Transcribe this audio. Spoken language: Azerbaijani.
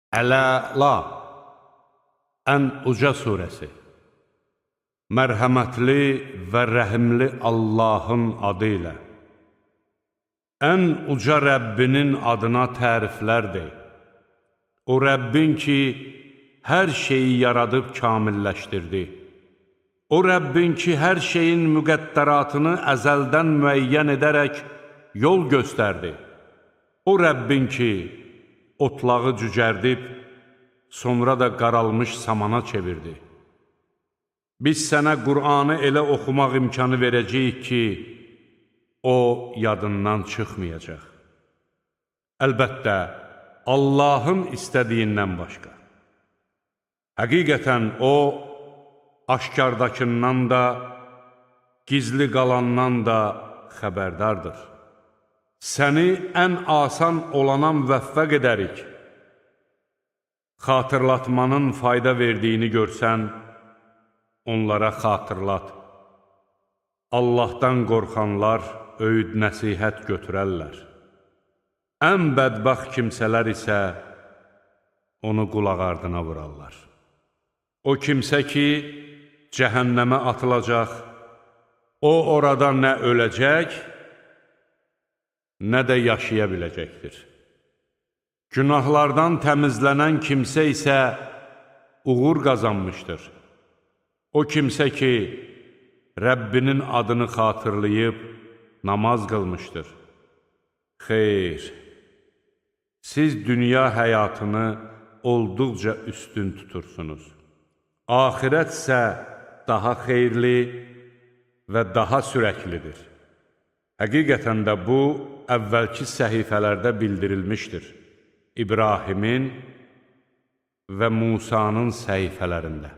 Əla, ən uca surəsi. Mərhəmətli və rəhimli Allahın adı ilə. Ən uca Rəbbinin adına təriflər dey. O Rəbbin ki, hər şeyi yaradıb kamilləşdirdi. O Rəbbin ki, hər şeyin müqəddəratını əzəldən müəyyən edərək yol göstərdi. O Rəbbin ki, otlağı cücərdib, sonra da qaralmış samana çevirdi. Biz sənə Qur'anı elə oxumaq imkanı verəcəyik ki, o yadından çıxmayacaq. Əlbəttə, Allahın istədiyindən başqa. Həqiqətən o, aşkardakından da, gizli qalandan da xəbərdardır. Səni ən asan olana müvəffəq edərik. Xatırlatmanın fayda verdiyini görsən, onlara xatırlat. Allahdan qorxanlar öyüd nəsihət götürərlər. Ən bədbəxt kimsələr isə onu qulaq ardına vurarlar. O kimsə ki, cəhənnəmə atılacaq, o orada nə öləcək, nə də yaşaya biləcəkdir. Günahlardan təmizlənən kimsə isə uğur qazanmışdır. O kimsə ki, Rəbbinin adını xatırlayıb namaz qılmışdır. Xeyr, siz dünya həyatını olduqca üstün tutursunuz. Axirət isə daha xeyirli və daha sürəklidir. Həqiqətən də bu, əvvəlki səhifələrdə bildirilmişdir. İbrahimin və Musanın səhifələrində.